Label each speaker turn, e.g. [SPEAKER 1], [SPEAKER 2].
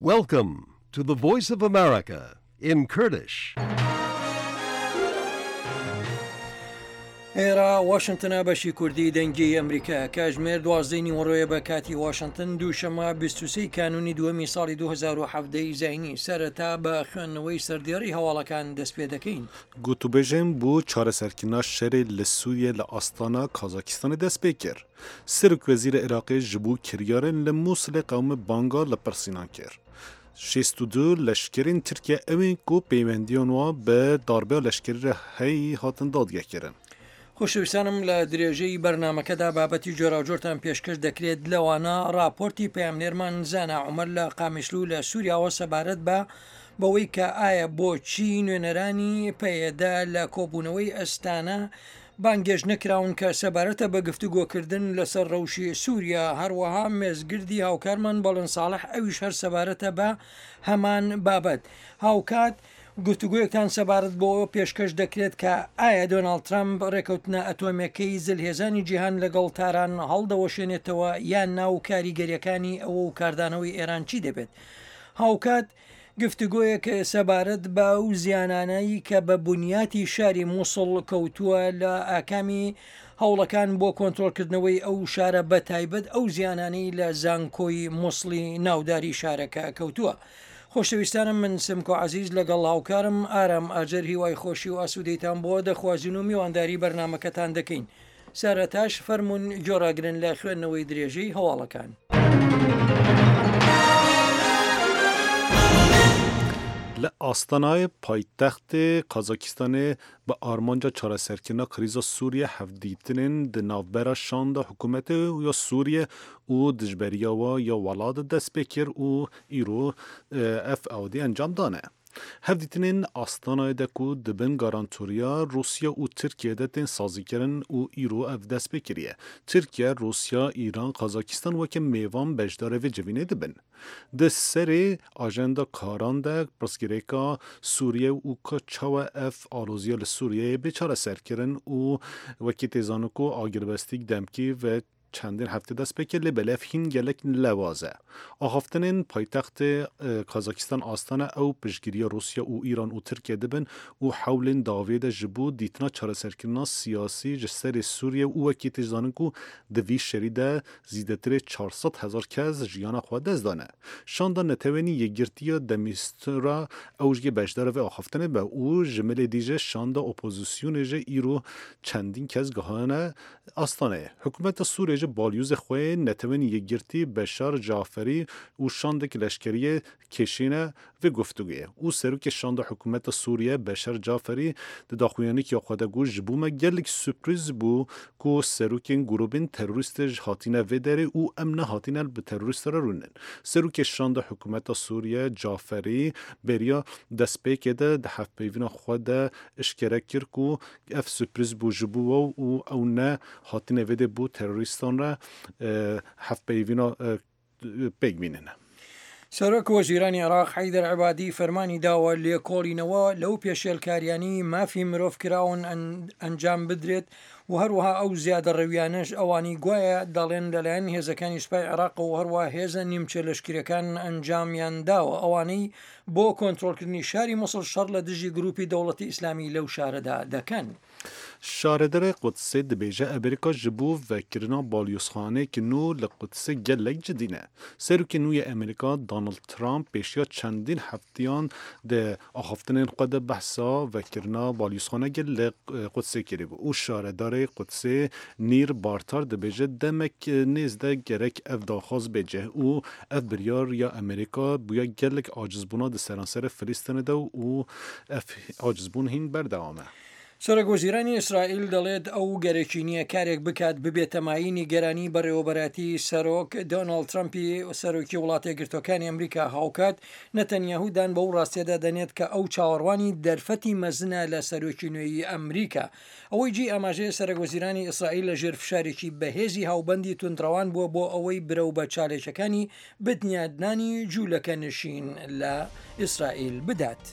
[SPEAKER 1] Welcome to the Voice of America in Kurdish.
[SPEAKER 2] ئێرە واشنتنە بەشی کوردی دەنگی ئەمریکا کاژمێر دوازدەی نیوەڕۆیە بە کاتی واشنتن دووشەمە 23 کانونی دووەمی ساڵی 2017 زینی سەرەتا بە خوێندنەوەی سەردێڕی هەواڵەکان دەست پێ دەکەین.
[SPEAKER 3] گوتوبێژên بۆ çareserkirina şerê li Sûriyê li Astana Kazakistanê dest pê kir. Serokwezîrê Iraqê ji bo kiryarên li Mûsilê qewimî banga lêpirsînan kir. 62 leşkerên Tirkiye ew ên ku pêwendiyan wan bi darbeya leşkerî re heyî hatin dadgehkirin.
[SPEAKER 2] خۆشەویستانم لە درێژەی بەرنامەکەدا بابەتی جۆراوجۆرتان پێشکەش دەکرێت لەوانە ڕاپۆرتی پەیامنێرمان زانا عومەر لە قامیشلو لە سووریاوە سەبارەت بە بەوەی کە ئایا بۆچی نوێنەرانی پەیەدە لە کۆبوونەوەی ئەستانە بانگێشت نەکراون کە سەبارەتە بە گفتوگۆکردن لەسەر ڕەوشی سووریا، هەروەها مێزگردی هاوکارمان بەڵێن ساڵح ئەویش هەر سەبارەتە بە هەمان بابەت. هاوکات گفتوگۆیەکتان سەبارەت بەوە پێشکەش دەکرێت کە ئایا دۆناڵد ترەمپ ڕێکەوتنە ئەتۆمیەکەی زلهێزانی جیهان لەگەڵ تاران هەڵدەوەشێنێتەوە یان نا و کاریگەریەکانی ئەوە و کاردانەوەی ئێران چی دەبێت. هاوکات گفتوگۆیەک سەبارەت بە ئەو زیانانەی کە بە بنیاتی شاری موسڵ کەوتووە لە ئاکامی هەوڵەکان بۆ کۆنترۆڵکردنەوەی ئەو شارە بە تایبەت ئەو زیانانەی لە زانکۆی موسڵی ناوداری شارەکە کەوتووە. خۆشەویستانم من سمکۆ عەزیز لەگەڵ هاوکارم ئارام ئاجەر هیوای خۆشی و ئاسوودەیتان بۆ دەخوازین و میوانداری بەرنامەکەتان دەکەین. سەرەتاش فەرموون گوێڕاگرن لە خوێندنەوەی درێژەی هەواڵەکان.
[SPEAKER 3] Li Astanayê paytextê Kazakistanê bi armanca çareserkirina krîza Sûriyê hevdîtinên di navbera şanda hikûmetê ya Sûriyê û dijberiya we ya welat dest pê kir û îro ev ewdî encam dane. Hevdîtinên Astanayê de ku di bin garantoriya Rûsya û Tirkiyeyê de tên sazîkirin û îro ev dest pê kiriye. Tirkiye, Rûsya, Îran, Kazakistan weke mêvan beşdarê vê civînê dibin. Di serê ajenda karan de pirsgirêka Sûriye û ka çawa ev aloziya li Sûriyeyê bê çareserkirin û wekî tê zanin ku agirbestîk demkî ve Çendîn heftê dest pê kir lê belê ev hîn gelek lewaz e. Axaftinên paytextê Kazakistan Astana ew piştgiriya Rûsya û Îran û Tirkiye dibin û hewlên dawiyê de ji bo dîtina çareserkirina siyasî ji serê Sûriye û wekî tê zanin ku di vî şerî de zîdetirê 400 hezar kes jiyana xwe dest dane. Şanda Netewenî Yekgirtiya de Mistura ew jî beşdara vê axaftinê be û ji milê dî jî şanda opozisyonê jî îro çendîn kes gihane Astaneyê, hikûmeta Sûriyê ji balyozê xwe yê Netewên Yekgirtî Beşar Caferî û şandek leşkeriyê kêşîne vê guftûguyê û serokê şanda hikûmeta Sûriyê Beşar Caferî di daxuyaniyek ya xwe de got ji bo me gelek surprîz bû ku serokên grûbên terorîstê ji hatîne vê derê û em nehatîne bi terorîstê re rûnin. Serokê şanda hikûmeta Sûriyê Caferî beriya destpêkê de di hevpeyvîna xwe de eşkere kir ku Ev surprîz bû ji bo we û ew ne hatine vê dê bo terorîstan re hevpeyvîna pêk bînin.
[SPEAKER 2] سەرۆک وەزیرانی عێراق حەیدەر عەبادی فەرمانی داوە لێکۆڵینەوە لەو پێشێلکاریانەی مافی مرۆڤ کراون ئەنجام بدرێت و هەروەها ئەو زیادەڕەویانەش ئەوانەی گوایە دەڵێن لەلایەن هێزەکانی سوپای عێراقەوە هەروە هێزە نیمچە لەشکریەکان ئەنجامیان داوە ئەوانەی بۆ کۆنترۆڵکردنی شاری موسڵ شەڕ لە دژی گروپی دەوڵەتی ئیسلامی لەو شارەدا دەکەن.
[SPEAKER 3] Şaredarê Qudsê dibêje Amerîka ji bo vekirina balyozxaneyeke nû li Qudsê gelek cidî ne. Serokê nû yê Amerîka Donald Trump pêşiya çendîn hefteyan di axaftinên xwe de behsa vekirina balyozxaneyeke li Qudsê kiribû û şaredarê Qudsê Nîr Bartar dibêje demek nêz de gerek ev daxwaz bê cih û Ev biryar ya Amerîka bûye gelek acizbûna di seranserê Filistînê de û ev acizbûn hîn berdewam e.
[SPEAKER 2] سەرۆک وەزیرانی ئیسرائیل دەڵێت ئەو گەرەکی نییە کارێک بکات ببێتە مایەی نیگەرانی بەڕێوەبەرایەتی سەرۆک دۆناڵد ترەمپی سەرۆکی وڵاتەیەکگرتووەکانی ئەمریکا، هاوکات نەتەنیاهو دان بەو ڕاستیەدا دەنێت کە ئەو چاوەڕوانی دەرفەتی مەزنە لە سەرۆکی نوێی ئەمریکا. ئەوەی جێی ئاماژەیە سەرەک وەزیرانی ئیسرائیل لە ژێر فشارێکی بەهێزی هاوبەندی توندڕەوان بووە بۆ ئەوەی برەو بە چاالکەکانی بنیادنانی جوولەکە نشین لە ئیسرائیل بدات.